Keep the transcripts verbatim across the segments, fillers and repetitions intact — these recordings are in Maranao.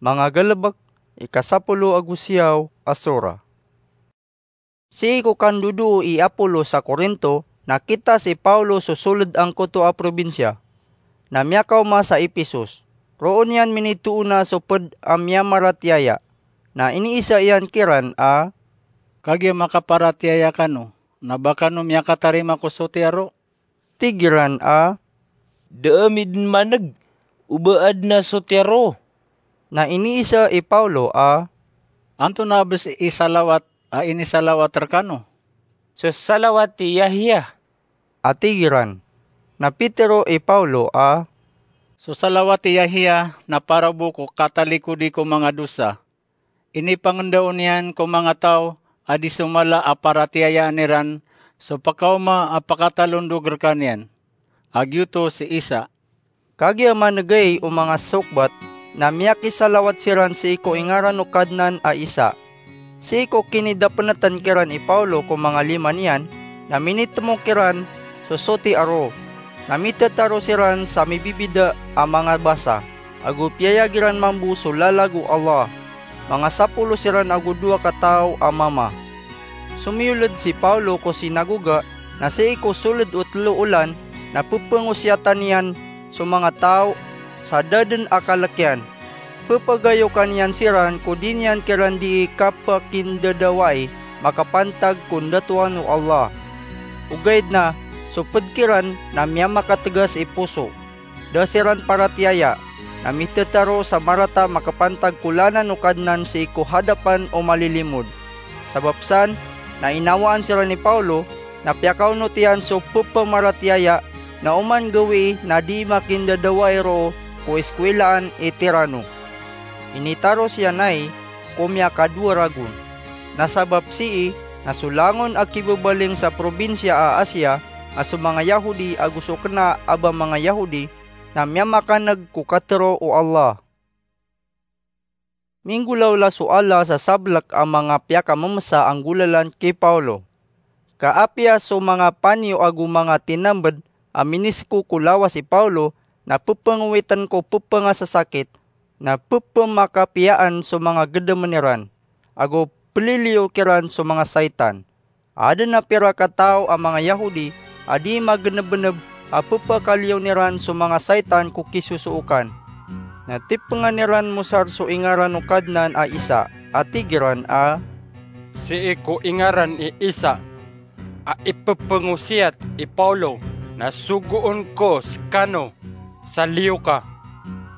Manga Galbk, ika sapolo ago siyaw a sura. Sii ko kandodoo i Apolos sa Corinto, nakita si Paulo so soled angkoto a probinsiya, na miyakaoma sa Epesos. Roo niyan minitoona so ped a miyamaratiyaya, na iniisa iyan kiran a, "Kagiya makaparatiyaya kano, na ba kano miyakatarima ko soti a roo?" Tig iran a, "Da ami den maneg o ba aden a soti a roo." Na iniisa i Paulo a, "Antonaa bes i salawat a inisalawat rekano?" "So salawat i Yahya," a tig iran. Na pitero i Paulo a, "So salawat i Yahya na parabo ko katalikodi ko manga dosa. Inipangendao niyan ko manga taw a di so mala a paratiyayaan iran so pekaoma a pakatalondog rekaniyan, a giyoto si Isa." Kagiya manegay o manga sokbat, na miyakisalawat siran sii ko ingaran o Kadnan a Isa. Sii ko kinidapeneten kiran i Paulo ko manga lima niyan, na minitemo kiran so soti a roo, na mitetaro siran sa mibibida a manga basa, ago piyayag iran mambo so lalag o Allah. Manga sapolo siran ago dowa kataw a mama. Somiyoled si Paulo ko sinagoga, na sii ko soled o telo olan, na pepengosiyatan iyan so manga taw sa da den a kalek iyan. Pepagayokan iyan siran ko di niyan kiran dii kapekindadawai makapantag ko ndatoan o Allah. Ogaid na so ped kiran na miyamakategas i poso. Da siran paratiyaya, na mitetaro sa marata makapantag ko lanan o Kadnan sii ko hadapan o malilimod. Sabap san, na inawaan siran i Paulo, na piyakaonot iyan so pepamaratiyaya, na oman gawii na dii makindadawai roo ko iskwilaan i Tirano. Initaros iyan ai ko miyakadowa ragon. Na sabap sii, na so langon a kibabaling sa probinsiya a Asia, a so manga Yahudi ago so kena a ba manga Yahudi, na miyamakaneg ko katero o Allah. Minggolawla so Allah sa sablek a manga piyakamemesa a nggolalan ki Paulo. Ka apiya so manga paniyo ago manga tinambed a minisko ko lawas i Paulo, na pepengowiten ko pepengasasakit, na pepemakapiyaan so manga gedemen iran, ago peliliyo kiran so manga saitan. Aden a pirak a taw a manga Yahudi a dii magenebeneb a pepakaliyon iran so manga saitan ko kisosookan. Na tipengan iran mosar so ingaran o Kadnan a Isa, a tig iran a, "Sii ko ingaran i Isa a ipepengosiyat i Paulo, na sogoon ko sekano sa liyo ka."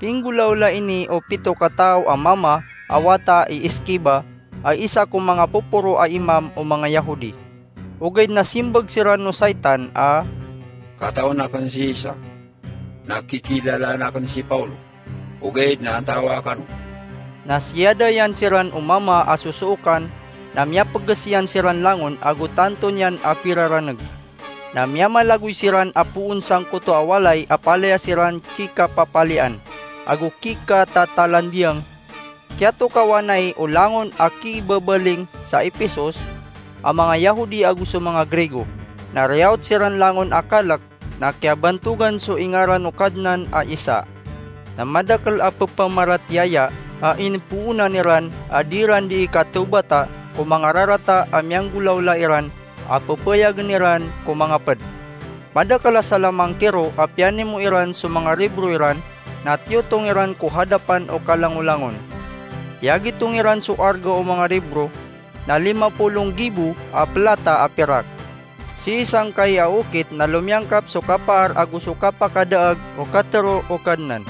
Pinggolawla ini o pito kataw a mama a wata i Eskeva, a isa ko manga poporo a imam o manga Yahudi. Ogaid na simbag siran o saitan a, "Katawan aken si Isa, na kikilalaan aken si Paulo, ogaid na antaa kano?" Na siyadayan siran o mama a sosookan, na miyapeges iyan siran langon ago tanto niyan a piraraneg. Na miyamalagoy siran a poon sangkoto a walay a palaya siran kikapapalian ago kikatatalandiang. Kiyatokawan ai o langon a kibabaling sa Epesos a manga Yahudi ago so manga Grego. Na riyaot siran langon a kalek, na kiyabantogan so ingaran o Kadnan a Isa. Na madakel a pepamaratiyaya a inipoonan iran a di ran dii katawbata ko manga rarata a miyanggolawla iran a pepayagen iran ko manga ped. Madakel a salamangkiro a piyanimo iran so manga ribro iran, na tiyotong iran ko hadapan o kalangolangon. Piyagitong iran so arga o manga ribro, na lima polo nggibo a pelata a pirak. Sii sangkai a okit na lomiyangkap so kapaar ago so kapakadaag o katero o Kadnan.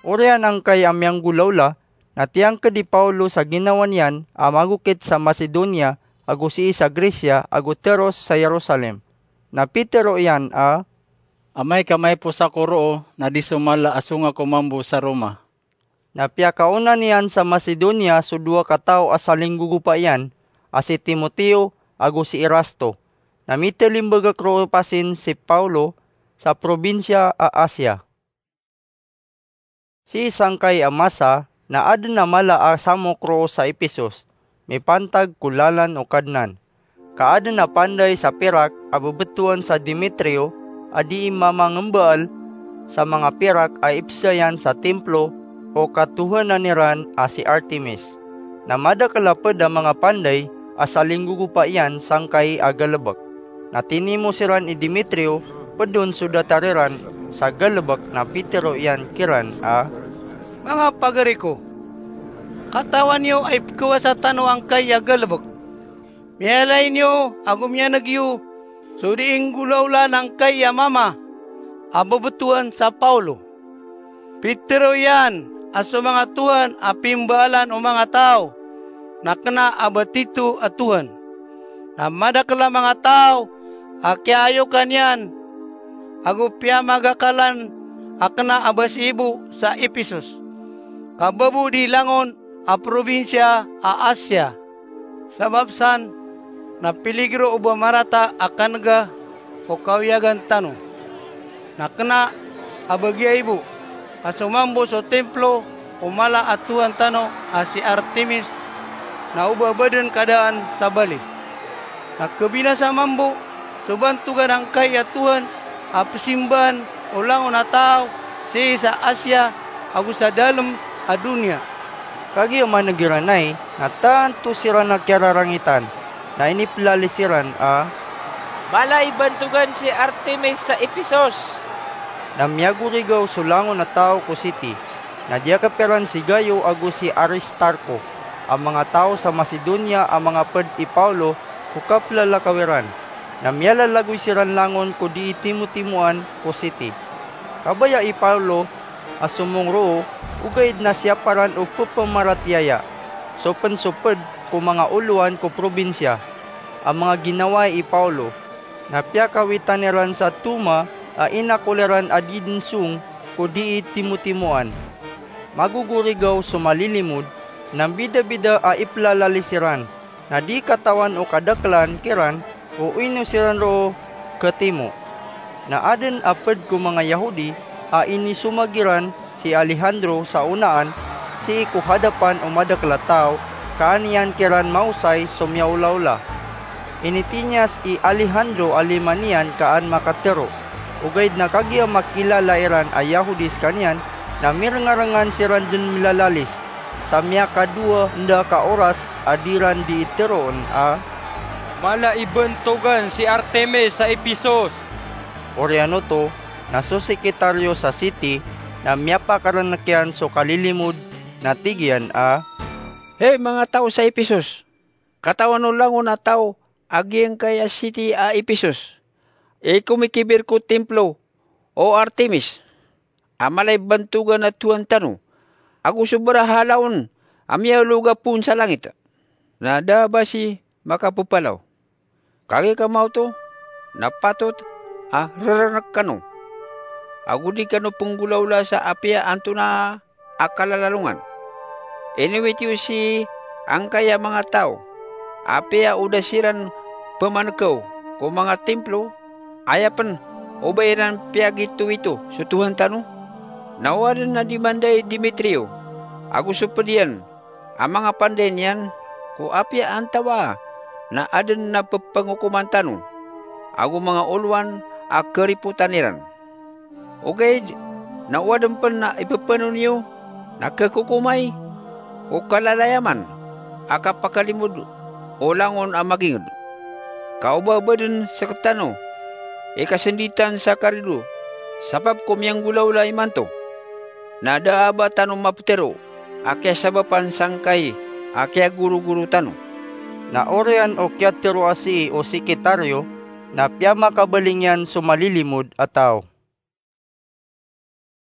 Oriyan angkai a miyanggolawla, na tiyangked i Paulo sa ginawa niyan a magokit sa Macedonia ago sii sa Grecia ago teros sa Jerusalem. Na pitero iyan a, "Amay ka maipos ako roo na di so mala a songa ko mambo sa Roma." Na piyakaona niyan sa Macedonia so dowa kataw a salinggogopa iyan, a si Timoteo ago si Erasto. Na mitalimbagak roo pasin si Paulo sa probinsiya a Asia. Sii sangkai a masa na aden a mala a samok roo sa Epesos, mipantag ko lalan o Kadnan. Ka aden a panday sa pirak a bebetowan sa Demetrio a dii mamangembaal sa manga pirak a ipsayan sa timplo o katohanan iran a si Artemis. Na madakel a ped a manga panday a salinggogopa iyan sangkai a galebek. Na tinimo siran i Demetrio, ped on so datar iran sa galebek, na pitero iyan kiran a, "Manga pagari ko, katawan iyo a ipekawasa tano angkai a galebek. Miyalay niyo ago miyaneg iyo so dii nggolawlaan angkai a mama a bebetowan sa Paulo. Pitero iyan a so manga tohan a pimbaalan o manga taw na kena a ba tito a tohan. Na madakel a manga taw a kiyaayokan iyan ago piyamagakalan a kena a ba siibo sa Ephesus, ka babo di langon a probinsiya a Asia. Sabap san na piligro o ba marata a kanega ko kawiyagan tano. Na kena a ba giya ibo a so mambo so templo o mala a tohan tano a si Artemis, na o ba baden ka daan sabali. Na kebinasa mambo so bantogan angkai a tohan a pesimbaan o langon a taw sii sa Asia ago sa dalem a doniya." Kagiya maneg iran ai, na tanto siran a kiyararangitan, na inipelalis iran a, "Mala i bantogan si Artemis sa Ephesus!" Na miyagorigaw so langon a taw ko siti, na diyakep iran si Gayo ago si Aristarko, a manga taw sa Macedonia a mangaped i Paulo ko kapelalakaw iran. Na miyalalagoy siran langon ko dii timotimoan ko siti. Kabaya i Paulo a somong roo, ogaid na siyaparan o pepamaratiyaya so pen so ped ko manga olowan ko probinsiya a manga ginawai i Paulo. Na piyakawitan iran sa toma a inakol iran a dii den song ko dii timotimoan. Magogorigaw so malilimod, na mbidabida a ipelalalis iran, na di katawan o kadakelan kiran o ino siran roo ketimo. Na aden a ped ko manga Yahudi a inisomag iran si Alejandro sa onaan sii ko hadapan o madakel a taw, ka an iyan kiran maosay so miyaolaola. Initinyas i Alejandro a lima niyan ka an makatero. Ogaid na kagiya makilala iran a Yahudi sekaniyan, na mirengarengan siran den milalalis sa miyakadowa enda ka oras a di ran dii teroon a, "Mala i bantogan si Artemis sa Ephesus!" Oriyan oto, na so sekretaryo sa siti na miyapakarenek iyan so kalilimod, na tig iyan a, "Hay manga taw sa Ephesus! Katawan o langon a taw a giyangkai a siti a Ephesus i komikibir ko templo o Artemis a mala i bantogan a tohan tano, ago so barahalaon a miyaologa poon sa langit, na da a ba si makapepalaw. Kagiya ka maoto na patot a rerenek kano, ago di kano penggolawla sa apiya antonaa a kalalalongan. Inowit iyo sii angkai a manga taw, apiya o da siran pemanekew ko manga templo, aya pen o ba iran piyagitowito so tohan tano? Na o aden a di manda i Demetrio ago so ped iyan a manga panday niyan ko apiya antawaa na aden a pepengokoman tano ago manga olowan a keripotan iran. Ogaid na o aden pen a ipepeno niyo na kekokomay ko kalalayaman a kapakalimod o langon a maginged. Ka o ba baden seketano i kasenditan sa karido sabap ko miyanggolawla imanto, na da a ba tano mapetero a kiyasabapan sangkai a kiyagorogoro tano." Na oriyan o kiyateroa sii o sekretaryo, na piyamakabaling iyan so malilimod a taw.